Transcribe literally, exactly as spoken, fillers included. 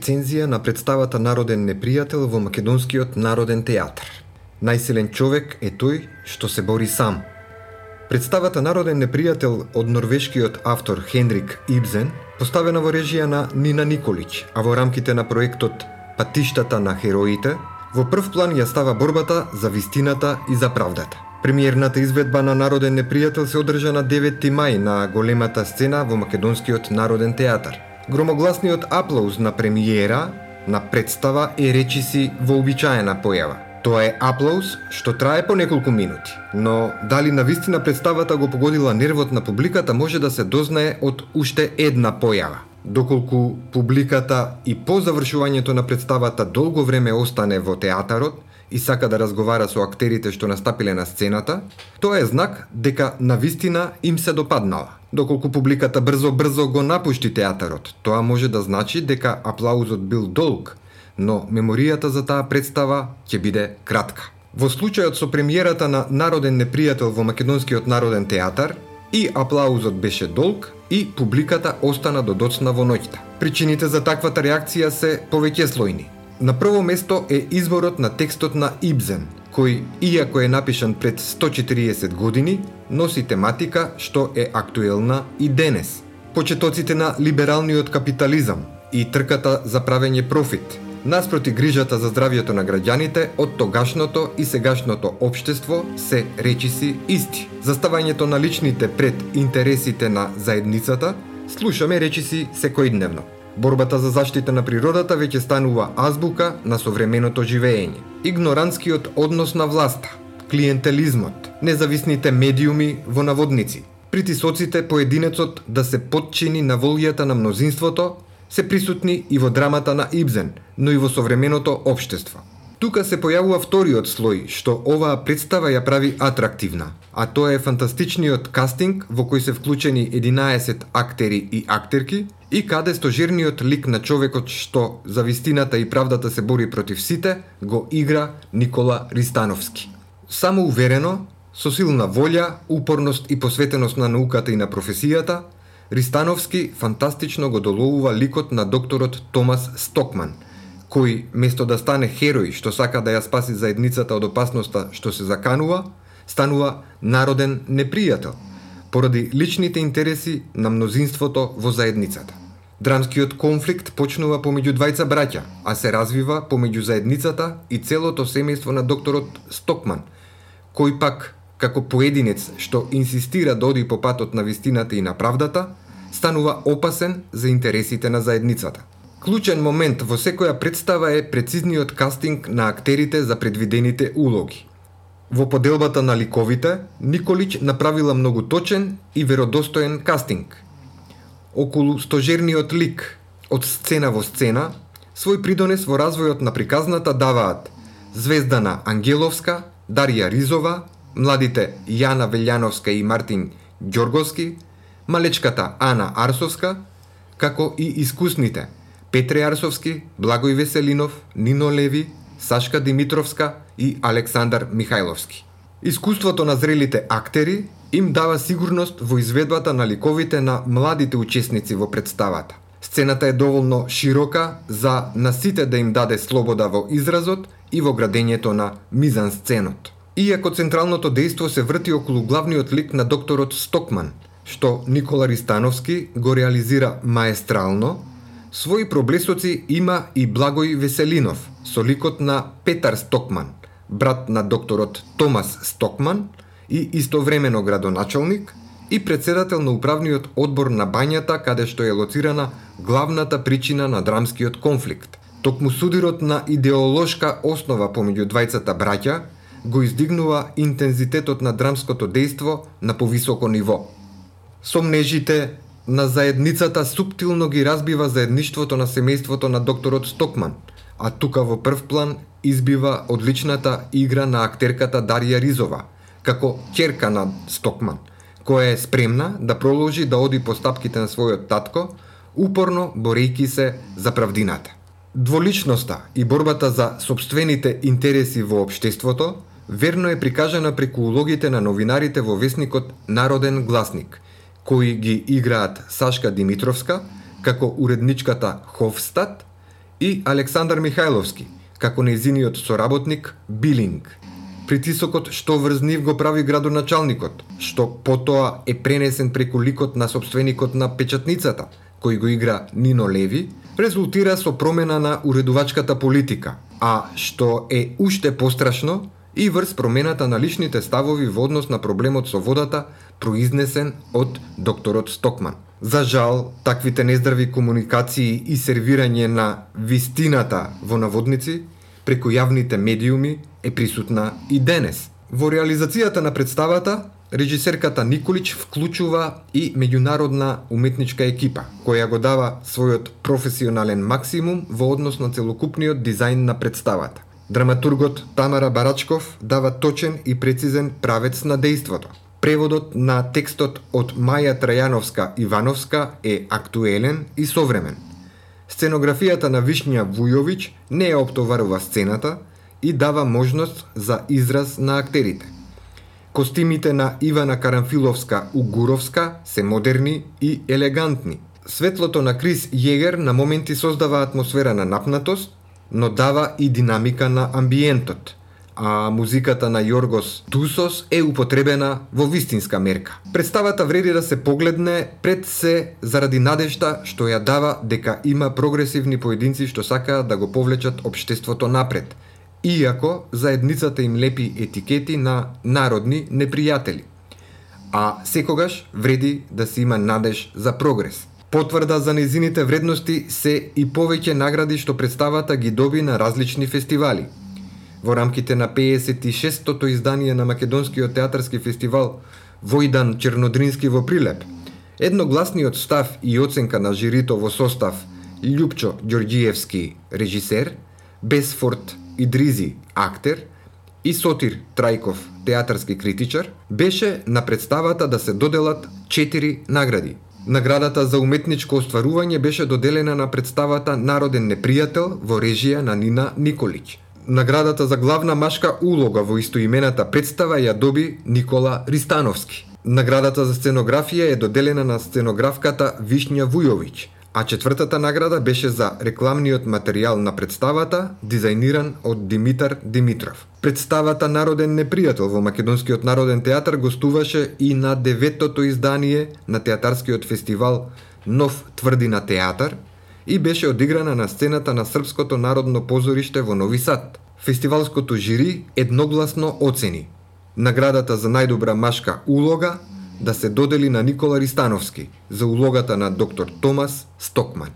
рецензија на представата Народен непријател во Македонскиот народен театар. Најсилен човек е тој што се бори сам. Представата Народен непријател од норвешкиот автор Хенрик Ибсен, поставена во режија на Нина Николич, а во рамките на проектот Патиштата на хероите, во прв план ја става борбата за вистината и за правдата. Премиерната изведба на Народен непријател се одржа на деветти мај на големата сцена во Македонскиот народен театар. Громогласниот аплауз на премиера на представа е речиси вообичаена појава. Тоа е аплауз што трае по неколку минути, но дали навистина представата го погодила нервот на публиката може да се дознае од уште една појава. Доколку публиката и по завршувањето на представата долго време остане во театарот и сака да разговара со актерите што настапиле на сцената, тоа е знак дека навистина им се допаднала. Доколку публиката брзо-брзо го напушти театарот, тоа може да значи дека аплаузот бил долг, но меморијата за таа представа ќе биде кратка. Во случајот со премиерата на Народен непријател во Македонскиот народен театар, и аплаузот беше долг, и публиката остана до доцна во ноќта. Причините за таквата реакција се повеќеслојни. На прво место е изборот на текстот на Ибсен, кој, иако е напишан пред сто и четириесет години, носи тематика што е актуелна и денес. Почетоците на либералниот капитализам и трката за правење профит, наспроти грижата за здравјето на граѓаните од тогашното и сегашното општество се речиси исти. Заставањето на личните пред интересите на заедницата, слушаме речиси секојдневно. Борбата за заштита на природата веќе станува азбука на современото живеење. Игнорантскиот однос на власта, клиентелизмот, независните медиуми во наводници, притисоците поединецот да се подчини на волјата на мнозинството, се присутни и во драмата на Ибсен, но и во современото општество. Тука се појавува вториот слој што оваа представа ја прави атрактивна, а тоа е фантастичниот кастинг во кој се вклучени единаесет актери и актерки и каде стожерниот лик на човекот што за вистината и правдата се бори против сите го игра Никола Ристановски. Само уверено, со силна волја, упорност и посветеност на науката и на професијата, Ристановски фантастично го доловува ликот на докторот Томас Стокман, кој, место да стане херој што сака да ја спаси заедницата од опасноста што се заканува, станува народен непријател, поради личните интереси на мнозинството во заедницата. Драмскиот конфликт почнува помеѓу двајца браќа, а се развива помеѓу заедницата и целото семејство на докторот Стокман, кој пак, како поединец што инсистира да оди по патот на вистината и на правдата, станува опасен за интересите на заедницата. Клучен момент во секоја представа е прецизниот кастинг на актерите за предвидените улоги. Во поделбата на ликовите, Николич направила многу точен и веродостоен кастинг. Околу стожерниот лик, од сцена во сцена, свој придонес во развојот на приказната даваат Звездана Ангеловска, Дарија Ризова, младите Јана Велјановска и Мартин Ѓорговски, малечката Ана Арсовска, како и искусните Петре Арсовски, Благој Веселинов, Нино Леви, Сашка Димитровска и Александар Михајловски. Искуството на зрелите актери им дава сигурност во изведбата на ликовите на младите учесници во представата. Сцената е доволно широка за на сите да им даде слобода во изразот и во градењето на мизансценот. Иако централното дејство се врти околу главниот лик на докторот Стокман, што Никола Ристановски го реализира маестрално, своји проблесоци има и Благој Веселинов со ликот на Петар Стокман, брат на докторот Томас Стокман и истовремено градоначалник и председател на управниот одбор на бањата каде што е лоцирана главната причина на драмскиот конфликт. Токму судирот на идеолошка основа помеѓу двајцата браќа го издигнува интензитетот на драмското дејство на повисоко ниво. Сомнежите на заедницата суптилно ги разбива заедништвото на семејството на докторот Стокман, а тука во прв план избива одличната игра на актерката Дарија Ризова, како ќерка на Стокман, која е спремна да проложи да оди по стапките на својот татко, упорно борејки се за правдината. Дволичноста и борбата за сопствените интереси во општеството верно е прикажана преку улогите на новинарите во весникот Народен гласник, кои ги играат Сашка Димитровска како уредничката Хофстад и Александар Михајловски, како нејзиниот соработник Билинг. Притисокот што врз нив го прави градоначалникот, што потоа е пренесен преку ликот на собственикот на печатницата, кој го игра Нино Леви, резултира со промена на уредувачката политика, а што е уште пострашно и врз промената на личните ставови во однос на проблемот со водата, произнесен од докторот Стокман. За жал, таквите нездрави комуникации и сервирање на вистината во наводници преку јавните медиуми е присутна и денес. Во реализацијата на представата, режисерката Николич вклучува и меѓународна уметничка екипа, која го дава својот професионален максимум во однос на целокупниот дизајн на представата. Драматургот Тамара Барачков дава точен и прецизен правец на дејството. Преводот на текстот од Маја Трајановска Ивановска е актуелен и современ. Сценографијата на Вишња Вујовиќ не ја оптоварува сцената и дава можност за израз на актерите. Костимите на Ивана Карамфиловска-Угуровска се модерни и елегантни. Светлото на Крис Јегер на моменти создава атмосфера на напнатост, но дава и динамика на амбиентот, а музиката на Јоргос Тусос е употребена во вистинска мерка. Представата вреди да се погледне пред се заради надежта што ја дава дека има прогресивни поединци што сакаат да го повлечат општеството напред, иако заедницата им лепи етикети на народни непријатели. А секогаш вреди да се има надеж за прогрес. Потврда за нејзините вредности се и повеќе награди што представата ги доби на различни фестивали. Во рамките на пеесет и шестото издание на Македонскиот театарски фестивал Војдан Чернодрински во Прилеп, едногласниот став и оценка на жирито во состав Љупчо Ѓорѓиевски, режисер, Бесфорд Идризи, актер, и Сотир Трајков, театарски критичар, беше на представата да се доделат четири награди. Наградата за уметничко остварување беше доделена на представата Народен непријател во режија на Нина Николич. Наградата за главна машка улога во истоимената представа ја доби Никола Ристановски. Наградата за сценографија е доделена на сценографката Вишња Вујовиќ, а четвртата награда беше за рекламниот материјал на представата, дизајниран од Димитар Димитров. Представата Народен непријател во Македонскиот народен театар гостуваше и на деветото издание на театарскиот фестивал Нов тврдина театар и беше одиграна на сцената на Српското народно позориште во Нови Сад. Фестивалското жири едногласно оцени наградата за најдобра машка улога да се додели на Никола Ристановски за улогата на доктор Томас Стокман.